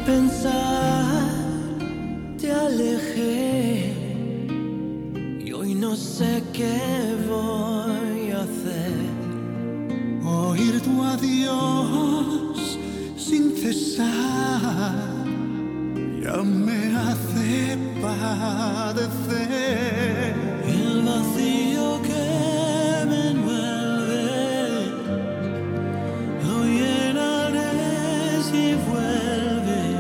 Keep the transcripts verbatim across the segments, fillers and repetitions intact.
pensar te alejé y hoy no sé qué voy a hacer. Oír tu adiós sin cesar ya me hace padecer. El vacío que me envuelve lo llenaré si vuelves.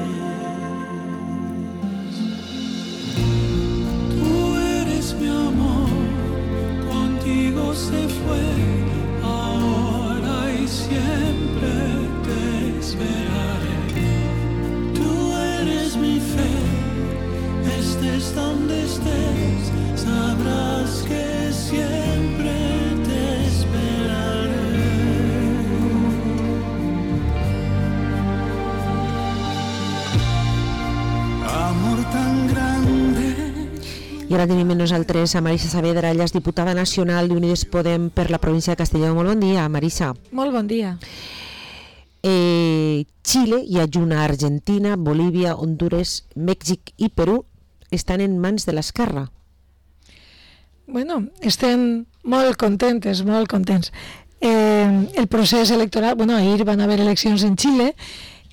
Tú eres mi amor, contigo se fue, ahora y siempre te esperaré. Tú eres mi fe, estés donde estés, sabrás que siempre te esperaré. Amor tan grande. I ara tenim amb nosaltres a Marisa Saavedra, ella és diputada nacional d'Unides Podem per la província de Castelló. Molt bon dia, Marisa. Molt bon dia. Eh, Xile i adjuna Argentina, Bolívia, Honduras, Mèxic i Perú estan en mans de l'esquerra. Bueno, estem molt contentes, molt contents. Eh, el procés electoral, bueno, ahir van haver eleccions en Xile,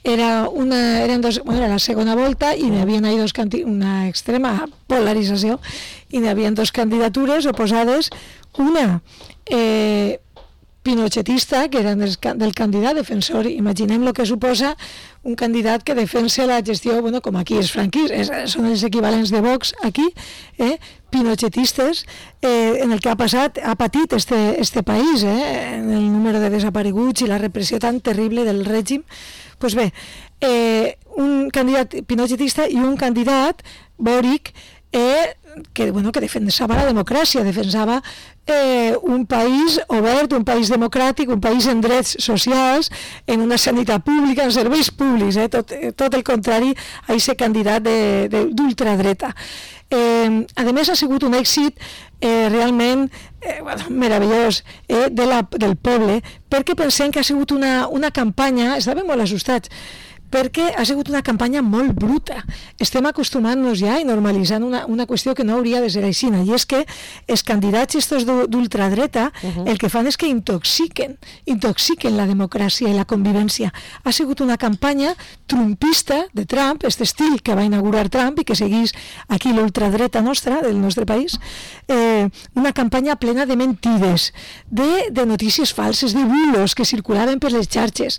era una, eren dos, bueno, era la segona volta i n'hi havia dos una extrema polarització i n'hi havia dos candidatures oposades, una eh, pinochetista, que era del, del candidat defensor, imaginem el que suposa un candidat que defensa la gestió, bueno, com aquí és franquista, és, són els equivalents de Vox aquí, eh, pinochetistes, eh, en el que ha passat, ha patit este, este país, eh, en el número de desapareguts i la repressió tan terrible del règim. Pues bé, eh, un candidat pinochetista i un candidat, Boric, eh, que, bueno, que defensava la democràcia, defensava eh, un país obert, un país democràtic, un país en drets socials, en una sanitat pública, en serveis públics, eh, tot, tot el contrari a aquest candidat de, de, d'ultradreta. Eh, a més, ha sigut un èxit eh, realment eh, bueno, meravellós eh, de la, del poble, perquè pensem que ha sigut una, una campanya, estàvem molt assustats, perquè ha sigut una campanya molt bruta. Estem acostumant-nos ja i normalitzant una, una qüestió que no hauria de ser així, i és que els candidats estos d'ultradreta uh-huh. el que fan és que intoxiquen, intoxiquen la democràcia i la convivència. Ha sigut una campanya trumpista de Trump, aquest estil que va inaugurar Trump i que seguís aquí l'ultradreta nostra, del nostre país, eh, una campanya plena de mentides, de, de notícies falses, de bulos que circulaven per les xarxes,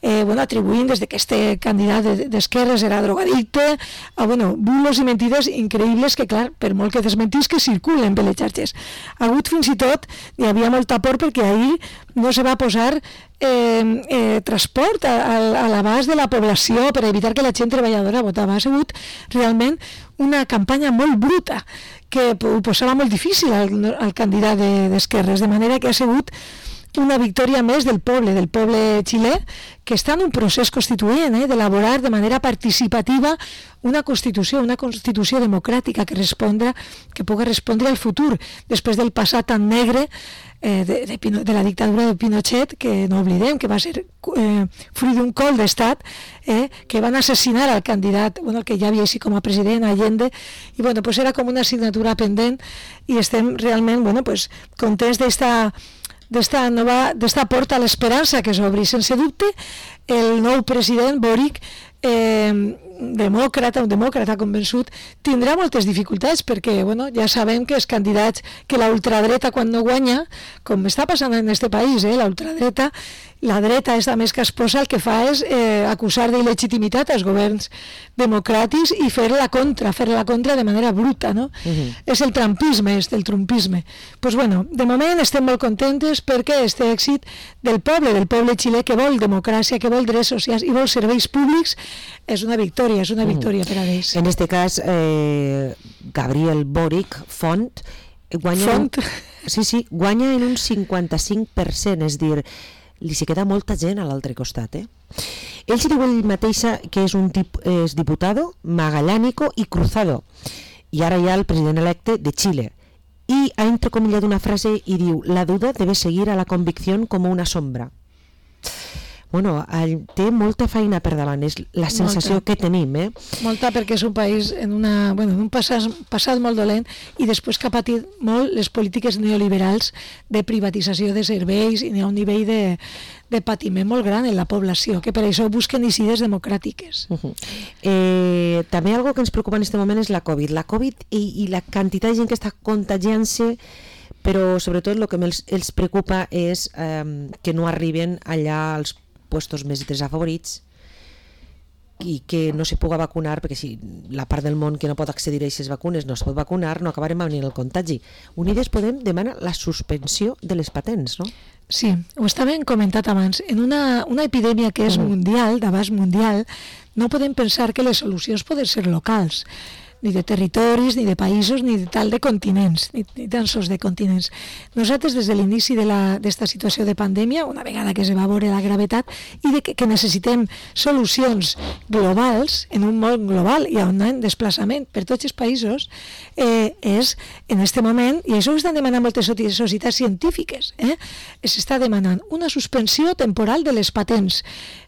eh, bueno, atribuint des de que este candidat d'esquerres era drogadicte, a, bueno, bulos i mentides increïbles que, clar, per molt que desmentís, que circulen per les xarxes. Ha hagut fins i tot, hi havia molta por perquè ahir no se va posar eh, eh, transport a, a, a l'abast de la població per evitar que la gent treballadora votava. Ha sigut realment una campanya molt bruta que ho posava molt difícil al, al candidat de, d'esquerres, de manera que ha sigut una victòria més del poble, del poble xilè, que està en un procés constituent, eh, d'elaborar de manera participativa una constitució, una constitució democràtica que respondre, que pugui respondre al futur, després del passat tan negre eh, de, de, de la dictadura de Pinochet, que no oblidem, que va ser eh, fruit d'un col d'estat, eh, que van assassinar al candidat, bueno, que ja havia així com a president, Allende, i bueno, pues era com una assignatura pendent, i estem realment, bueno, pues, contents d'esta d'esta nova, d'esta porta a l'esperança que s'obri. Sense dubte, el nou president Boric, eh, demòcrata, un demòcrata convençut, tindrà moltes dificultats perquè, bueno, ja sabem que els candidats, que la ultradreta quan no guanya, com està passant en este país, eh, la ultradreta, la dreta és més que esposa, el que fa és eh, acusar d'il·legitimitat als governs democràtics i fer la contra, fer la contra de manera bruta, no? Uh-huh. És el trumpisme, és el trumpisme. Pues bueno, de moment estem molt contentes perquè este èxit del poble, del poble xilè que vol democràcia, que vol drets socials i vol serveis públics, és una victòria, és una victòria uh-huh. per a ells. En este cas, eh, Gabriel Boric, Font, guanya, Font. Un, sí, sí, guanya en un cinquanta-cinc per cent, és dir, li s'hi queda molta gent a l'altre costat, eh? Ell s'hi diu ell mateixa que és un tip, és diputado magallánico i cruzado, i ara hi ha el president electe de Xile, i ha entrecomillat una frase i diu: la duda debe seguir a la convicción como una sombra. bueno, té molta feina per davant, és la sensació molta. que tenim. Eh? Molta, perquè és un país en, una, bueno, en un passat, passat molt dolent i després que ha patit molt les polítiques neoliberals de privatització de serveis i n'hi ha un nivell de, de patiment molt gran en la població, que per això busquen incides democràtiques. Uh -huh. eh, també algo que ens preocupa en aquest moment és la Covid. La Covid i, i la quantitat de gent que està contagiant-se, però sobretot el que els, els preocupa és eh, que no arriben allà als puestos més desafavorits i que no se puga vacunar, perquè si la part del món que no pot accedir a aquestes vacunes no es pot vacunar, no acabarem venint el contagi. Unides Podem demana la suspensió de les patents, no? Sí, ho estàvem comentat abans. En una, una epidèmia que és mundial, d'abast mundial, no podem pensar que les solucions poden ser locals, ni de territoris, ni de països, ni de tal de continents, ni, ni tan sols de continents. Nosaltres, des de l'inici d'esta situació de pandèmia, una vegada que es va veure la gravetat, i de que, que necessitem solucions globals, en un món global i on hi ha desplaçament per tots els països, eh, és, en aquest moment, i això ho estan demanant moltes societats científiques, eh, s'està demanant una suspensió temporal de les patents.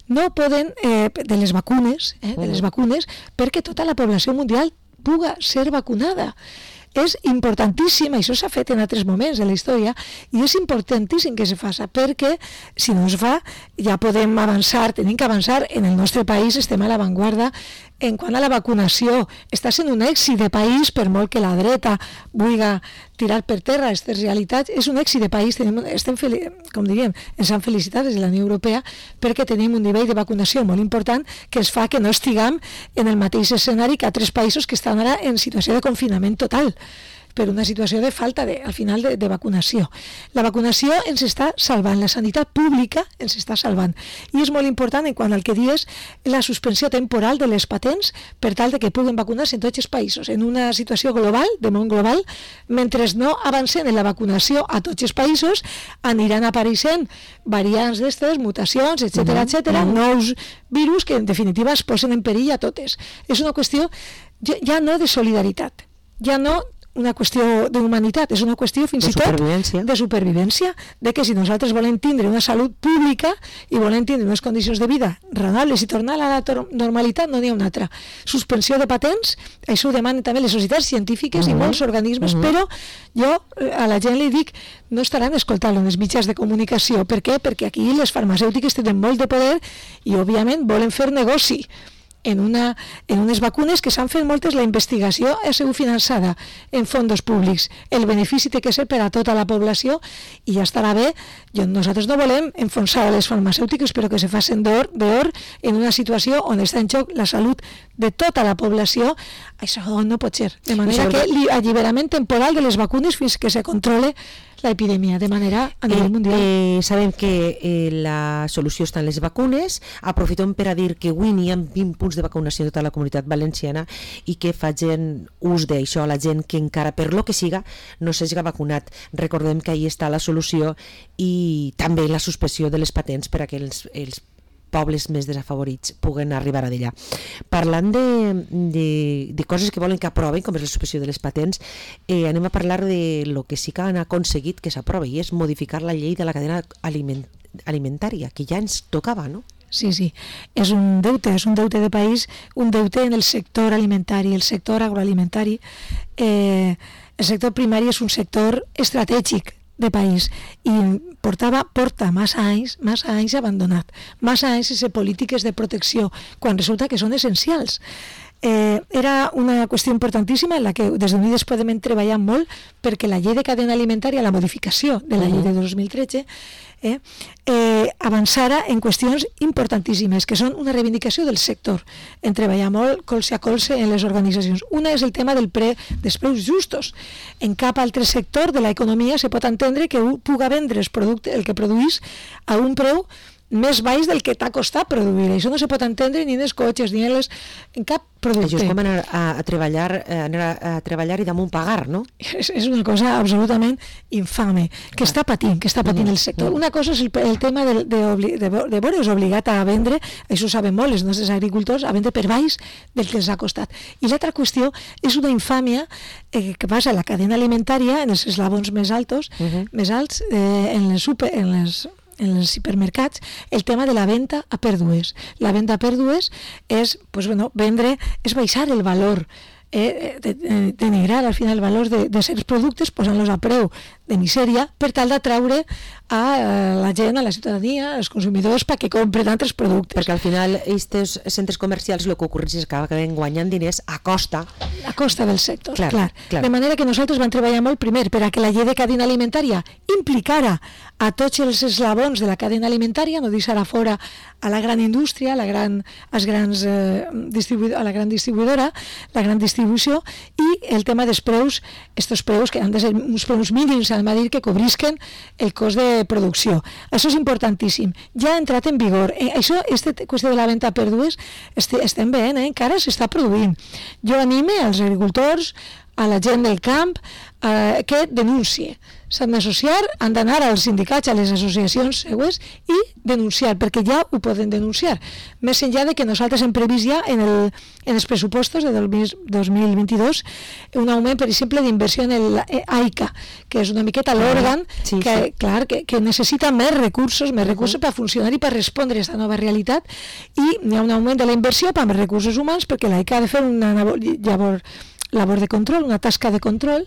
No poden, eh, de les vacunes, eh, de les vacunes, perquè tota la població mundial puga ser vacunada. És importantíssim, això s'ha fet en altres moments de la història, i és importantíssim que se faci, perquè si no es fa ja podem avançar, tenim que avançar. En el nostre país estem a l'avantguarda en quant a la vacunació. Està sent un èxit de país, per molt que la dreta vulgui tirar per terra aquestes realitats, és un èxit de país. Tenim, estem, com diríem, ens han felicitat des de la Unió Europea perquè tenim un nivell de vacunació molt important que ens fa que no estiguem en el mateix escenari que altres països que estan ara en situació de confinament total, per una situació de falta, de, al final, de, de vacunació. La vacunació ens està salvant, la sanitat pública ens està salvant. I és molt important, en quant al que dius, la suspensió temporal de les patents per tal de que puguen vacunar-se en tots els països, en una situació global, de món global. Mentre no avancen en la vacunació a tots els països, aniran apareixent variants d'estes, mutacions, etcètera, etcètera, nous virus que, en definitiva, es posen en perill a totes. És una qüestió ja no de solidaritat, ja no una qüestió d'humanitat, és una qüestió fins i tot de supervivència, de que si nosaltres volem tindre una salut pública i volem tindre unes condicions de vida raonables i tornar a la normalitat, no n'hi ha una altra. Suspensió de patents, això ho demanen també les societats científiques uh-huh. i molts organismes, uh-huh. però jo a la gent li dic, no estaran escoltant en els mitjans de comunicació. Per què? Perquè aquí les farmacèutiques tenen molt de poder i, òbviament, volen fer negoci en, una, en unes vacunes que s'han fet moltes, la investigació ha sigut finançada en fons públics. El benefici té que ser per a tota la població i ja estarà bé. Jo, nosaltres no volem enfonsar a les farmacèutiques, però que se facin d'or, d'or en una situació on està en joc la salut de tota la població. Això no pot ser. De manera que l'alliberament temporal de les vacunes fins que se controle l'epidèmia de manera a nivell mundial. Eh, eh, sabem que eh, la solució està en les vacunes. Aprofitem per a dir que avui n'hi ha vint punts de vacunació de tota la comunitat valenciana i que facin ús d'això a la gent que encara, per lo que siga, no s'hagi vacunat. Recordem que ahí està la solució i també la suspensió de les patents per a que els, els pobles més desafavorits puguen arribar a d'allà. Parlant de, de, de coses que volen que aproven, com és la suspensió de les patents, eh, anem a parlar de lo que sí que han aconseguit que s'aprovi, i és modificar la llei de la cadena aliment, alimentària, que ja ens tocava, no? Sí, sí, és un deute, és un deute de país, un deute en el sector alimentari, el sector agroalimentari. Eh, el sector primari és un sector estratègic de país i portava, porta massa anys, massa anys abandonat, massa anys sense polítiques de protecció, quan resulta que són essencials. Eh, era una qüestió importantíssima en la que des d'Unides Podem treballar molt perquè la llei de cadena alimentària, la modificació de la llei de dos mil tretze, eh, eh, avançara en qüestions importantíssimes, que són una reivindicació del sector, en treballar molt colze a colze en les organitzacions. Una és el tema del pre, dels preus justos. En cap altre sector de l'economia se pot entendre que un puga vendre el, producte, el que produís a un preu més baix del que t'ha costat produir. Això no se pot entendre ni en els cotxes, ni en, les, en cap producte. Això és com anar a, a, treballar, anar a, a treballar i damunt pagar, no? És, és una cosa absolutament infame, que està patint, que està patint el sector. Una cosa és el, el tema de, de, de, de, de veure's obligat a vendre, això ho saben molt els nostres agricultors, a vendre per baix del que els ha costat. I l'altra qüestió és una infàmia eh, que passa a la cadena alimentària, en els eslabons més altos, uh-huh. més alts, eh, en les super... En les en els hipermercats, el tema de la venda a pèrdues. La venda a pèrdues és, pues, bueno, vendre, és baixar el valor, eh, de, de, denigrar al final el valor de, de certs productes, posant-los a preu de misèria, per tal d'atraure a la gent, a la ciutadania, als consumidors, perquè compren altres productes. Perquè al final aquests centres comercials el que ocorre és que acaben guanyant diners a costa a costa del sector, clar, clar, clar. De manera que nosaltres vam treballar molt primer per a que la llei de cadena alimentària implicara a tots els eslabons de la cadena alimentària, no deixar a fora a la gran indústria, a la gran, als grans, eh, distribu a la gran distribuïdora, la gran distribució, i el tema dels preus, estos preus que han de ser uns preus mínims, han de dir que cobrisquen el cost de producció. Això és importantíssim. Ja ha entrat en vigor. Eh, això, aquesta qüestió de la venda a pèrdues, este, estem veient, eh? Encara s'està produint. Jo anime als agricultors, a la gent del camp, eh, que denuncie. S'han d'associar, han d'anar als sindicats, a les associacions següents i denunciar, perquè ja ho poden denunciar. Més enllà de que nosaltres hem previst ja en, el, en els pressupostos de dos mil vint-i-dos un augment, per exemple, d'inversió en el AICA, que és una miqueta l'òrgan sí, que, sí. clar, que, que necessita més recursos, més recursos per funcionar i per respondre a aquesta nova realitat, i hi ha un augment de la inversió per més recursos humans, perquè l'AICA ha de fer una labor, labor de control, una tasca de control,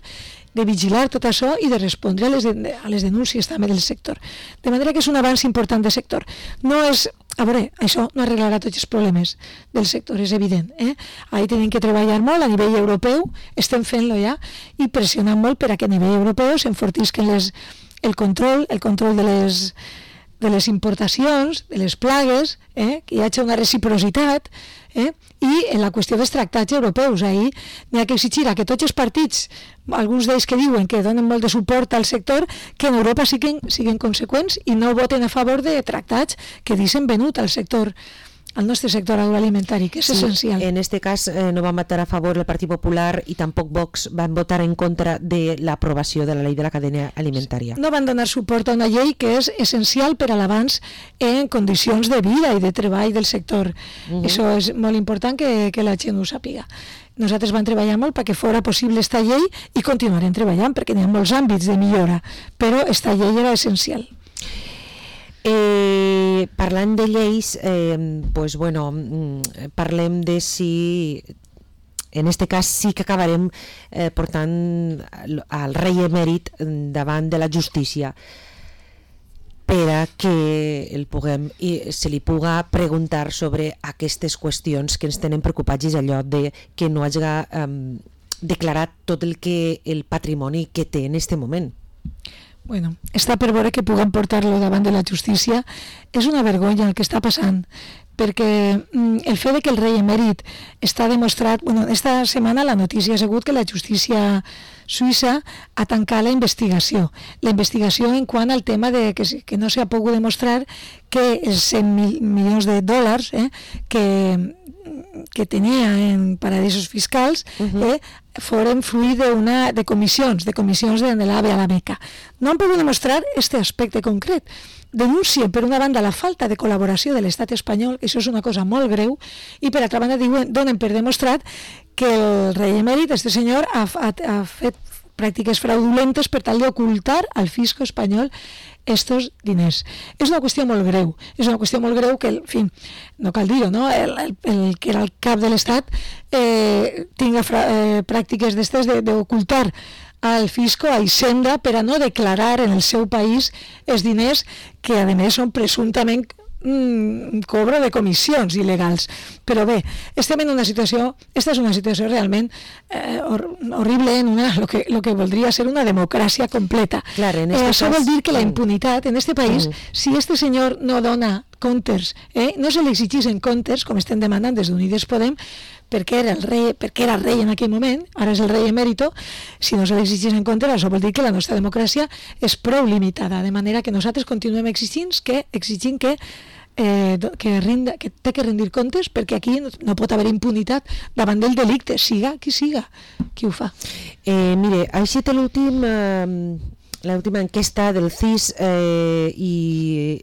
de vigilar tot això i de respondre a les, de, a les denúncies també del sector. De manera que és un avanç important del sector. No és, a veure, això no arreglarà tots els problemes del sector, és evident. Eh? Ahí tenim que treballar molt a nivell europeu, estem fent-lo ja, i pressionant molt per a que a nivell europeu s'enfortisquen les, el control, el control de les, de les importacions, de les plagues, eh? Que hi hagi una reciprocitat, eh? I en la qüestió dels tractats europeus, ahir n'hi ha que exigir a que tots els partits, alguns d'ells que diuen que donen molt de suport al sector, que en Europa siguin, siguin conseqüents i no voten a favor de tractats que deixen venut al sector, al nostre sector agroalimentari, que és sí, essencial. En este cas eh, no van votar a favor el Partit Popular i tampoc Vox van votar en contra de l'aprovació de la llei de la cadena alimentària. No van donar suport a una llei que és essencial per a l'avanç en condicions de vida i de treball del sector. Uh -huh. Això és molt important que, que la gent ho sàpiga. Nosaltres vam treballar molt perquè fora possible esta llei i continuarem treballant perquè hi ha molts àmbits de millora, però esta llei era essencial. Eh, parlant de lleis, eh, pues bueno, parlem de si, en este cas sí que acabarem eh, portant al rei emèrit davant de la justícia per a que el puguem, i se li puga preguntar sobre aquestes qüestions que ens tenen preocupats, és allò de que no hagi eh, declarat tot el que el patrimoni que té en este moment. Bueno, està per veure que puguem portar-lo davant de la justícia. És una vergonya el que està passant, perquè mm, el fet de que el rei emèrit està demostrat... Bueno, esta setmana la notícia ha sigut que la justícia suïssa ha tancat la investigació. La investigació en quant al tema de que, que no s'ha pogut demostrar que els cent mil milions de dòlars eh, que, que tenia en paradisos fiscals uh-huh. eh, foren fruit de, una, de comissions, de comissions de l'AVE a la Meca. No han pogut demostrar aquest aspecte concret. Denuncien, per una banda, la falta de col·laboració de l'estat espanyol, que això és una cosa molt greu, i per altra banda diuen, donen per demostrat que el rei emèrit, este senyor, ha, ha, ha fet pràctiques fraudulentes per tal d'ocultar al fisco espanyol estos diners. És una qüestió molt greu, és una qüestió molt greu que, en fi, no cal dir-ho, no? El, el, el que era el cap de l'Estat eh, tinga fra, eh, pràctiques d'estes d'ocultar al fisco, a Hisenda, per a no declarar en el seu país els diners que, a més, són presumptament un cobro de comissions il·legals. Però bé, estem en una situació, esta és una situació realment eh, hor horrible en una, lo que, lo que voldria ser una democràcia completa. Clar, en este eh, això cas... vol dir que la impunitat en este país, mm. si este senyor no dona comptes, eh, no se li exigeixen comptes, com estem demanant des d'Unides Podem, perquè era el rei, perquè era rei en aquell moment, ara és el rei emèrito, si no se li exigeixen comptes, això vol dir que la nostra democràcia és prou limitada, de manera que nosaltres continuem exigint que, exigint que Eh, que, rinda, que té que rendir comptes, perquè aquí no, no pot haver impunitat davant del delicte, siga qui siga qui ho fa. Eh, mire, així té l'últim eh, l'última enquesta del C I S eh, i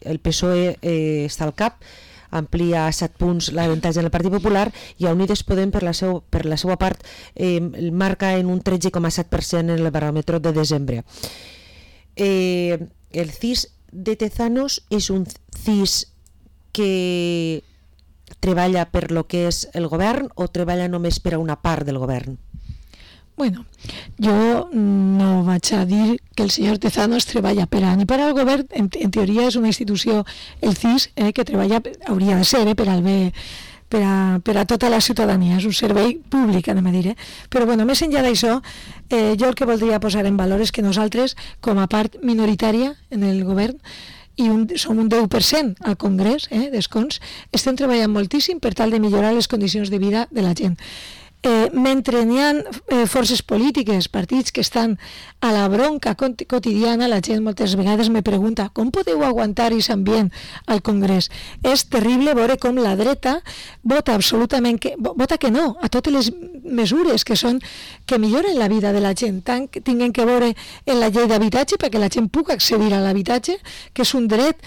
el P S O E eh, està al cap, amplia a set punts l'avantatge del Partit Popular, i a Unides Podem per la, seu, per la seva part eh, marca en un tretze coma set per cent en el baròmetre de desembre. Eh, el C I S de Tezanos és un C I S que treballa per lo que és el govern o treballa només per a una part del govern? Bueno, jo no vaig a dir que el senyor Tezanos treballa per a ni per al govern, en, en teoria és una institució, el C I S, eh, que treballa, hauria de ser, eh, per al bé, per a, per a tota la ciutadania, és un servei públic, anem a dir, eh? Però bueno, més enllà d'això, eh, jo el que voldria posar en valor és que nosaltres, com a part minoritària en el govern, i un, som un deu per cent al Congrés, eh, d'escons, estem treballant moltíssim per tal de millorar les condicions de vida de la gent. Eh, mentre n'hi ha eh, forces polítiques, partits que estan a la bronca quotidiana, la gent moltes vegades me pregunta com podeu aguantar aquest ambient al Congrés. És terrible veure com la dreta vota absolutament que, vota que no a totes les mesures que són que milloren la vida de la gent, tant que tinguin que veure en la llei d'habitatge perquè la gent pugui accedir a l'habitatge, que és un dret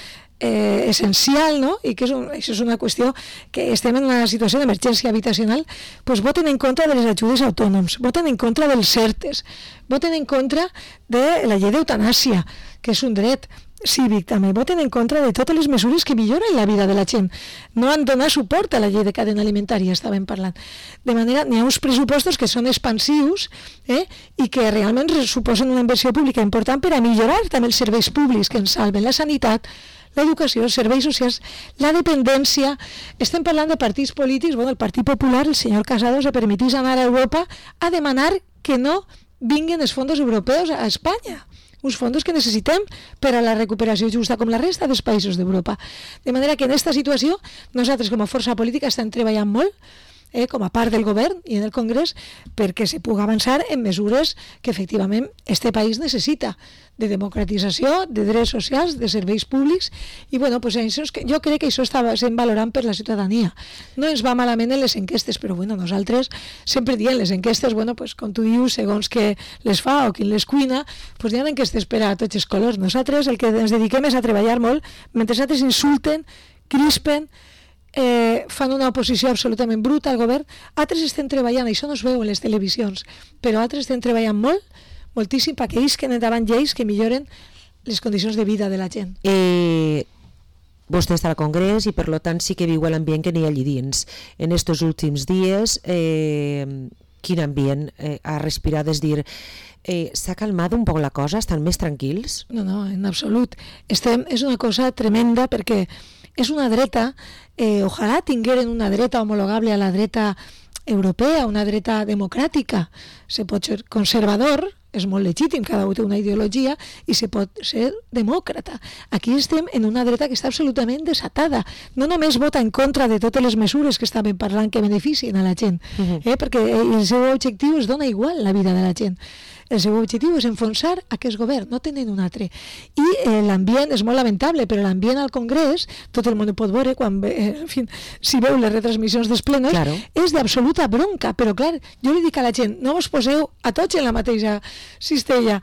Eh, essencial, no? I que és un, això és una qüestió que estem en una situació d'emergència habitacional, doncs voten en contra de les ajudes a autònoms, voten en contra dels CERTES, voten en contra de la llei d'eutanàsia, que és un dret cívic també, voten en contra de totes les mesures que milloren la vida de la gent. No han donat suport a la llei de cadena alimentària, estàvem parlant. De manera, n'hi ha uns pressupostos que són expansius, eh, i que realment suposen una inversió pública important per a millorar també els serveis públics que ens salven, la sanitat, l'educació, els serveis socials, la dependència. Estem parlant de partits polítics. Bueno, el Partit Popular, el senyor Casado, se permetís anar a Europa a demanar que no vinguin els fons europeus a Espanya, uns fons que necessitem per a la recuperació justa com la resta dels països d'Europa. De manera que en aquesta situació nosaltres com a força política estem treballant molt, eh, com a part del govern i en el Congrés, perquè se pugui avançar en mesures que efectivament este país necessita, de democratització, de drets socials, de serveis públics, i bueno, pues això és que, jo crec que això està sent valorant per la ciutadania. No ens va malament en les enquestes, però bueno, nosaltres sempre diem les enquestes, bueno, pues com tu dius, segons que les fa o qui les cuina, pues hi ha enquestes per a tots els colors. Nosaltres el que ens dediquem és a treballar molt, mentre altres insulten, crispen, Eh, fan una oposició absolutament bruta al govern, altres estem treballant, això no es veu en les televisions, però altres estem treballant molt, moltíssim, perquè ells que endavant lleis que milloren les condicions de vida de la gent. Eh, vostè està al Congrés i per tant sí que viu l'ambient que n'hi ha allí dins. En estos últims dies, eh, quin ambient eh, ha respirat, és dir, eh, s'ha calmat un poc la cosa, estan més tranquils? No, no, en absolut. Estem, és una cosa tremenda perquè és una dreta, eh, ojalà tingueren una dreta homologable a la dreta europea, una dreta democràtica. Se pot ser conservador, és molt legítim, cada un té una ideologia, i se pot ser demòcrata. Aquí estem en una dreta que està absolutament desatada. No només vota en contra de totes les mesures que estàvem parlant que beneficien a la gent, eh, perquè el seu objectiu és donar igual la vida de la gent. El seu objectiu és enfonsar aquest govern, no tenen un altre. I eh, l'ambient és molt lamentable, però l'ambient al Congrés, tot el món ho pot veure, quan, eh, en fi, si veu les retransmissions dels plenos, claro, és d'absoluta bronca. Però clar, jo li dic a la gent, no us poseu a tots en la mateixa cistella.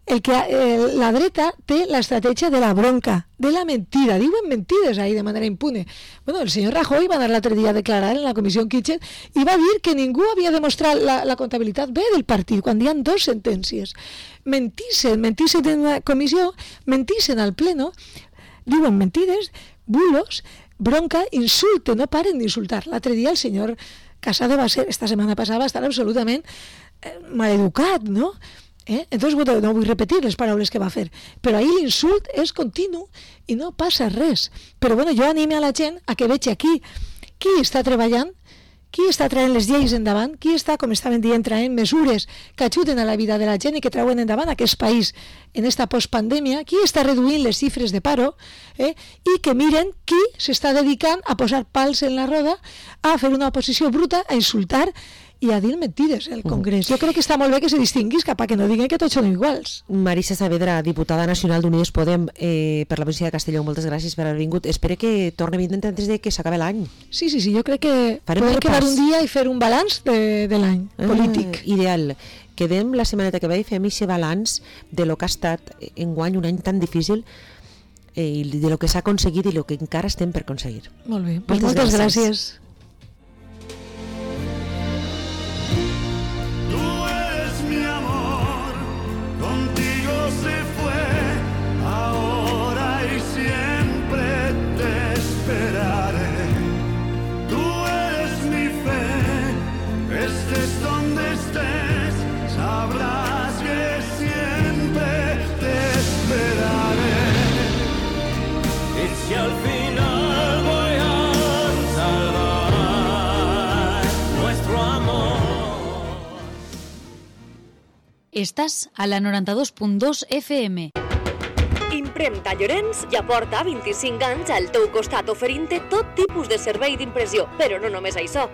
El que, eh, la dreta té l'estratègia de la bronca, de la mentida. Diuen mentides ahí de manera impune. Bueno, el senyor Rajoy va anar l'altre dia a declarar en la comissió Kitchen i va dir que ningú havia demostrat la, la comptabilitat bé del partit, quan hi ha dos sentències. Mentisen, mentisen en una comissió, mentisen al pleno, diuen mentides, bulos, bronca, insulten, no paren d'insultar. L'altre dia el senyor Casado va ser, esta setmana passada, va estar absolutament eh, maleducat, no? Eh? Entonces, bueno, no vull repetir les paraules que va fer, però ahir l'insult és continu i no passa res. Però bueno, jo anime a la gent a que vegi aquí qui està treballant, qui està traient les lleis endavant, qui està, com estaven dient, traient mesures que ajuden a la vida de la gent i que trauen endavant aquest país en esta postpandèmia, qui està reduint les xifres de paro, eh? I que miren qui s'està dedicant a posar pals en la roda, a fer una oposició bruta, a insultar i a dir mentides al Congrés. Jo crec que està molt bé que se distinguis cap a que no diguen que tots són iguals. Marisa Saavedra, diputada nacional d'Unides Podem, eh, per la província de Castelló, moltes gràcies per haver vingut. Espero que torni a vindre antes de que s'acabi l'any. Sí, sí, sí, jo crec que Farem podem quedar un dia i fer un balanç de, de l'any ah, polític. Ideal. Quedem la setmaneta que ve i fem aquest balanç de lo que ha estat enguany un any tan difícil, eh, i de lo que s'ha aconseguit i lo que encara estem per aconseguir. Molt bé, pues moltes, moltes gràcies. gràcies. Contigo se fue, ahora Estàs a la noranta-dos punt dos F M. Impremta Llorenç ja porta vint-i-cinc anys al teu costat oferint-te tot tipus de servei d'impressió, però no només això.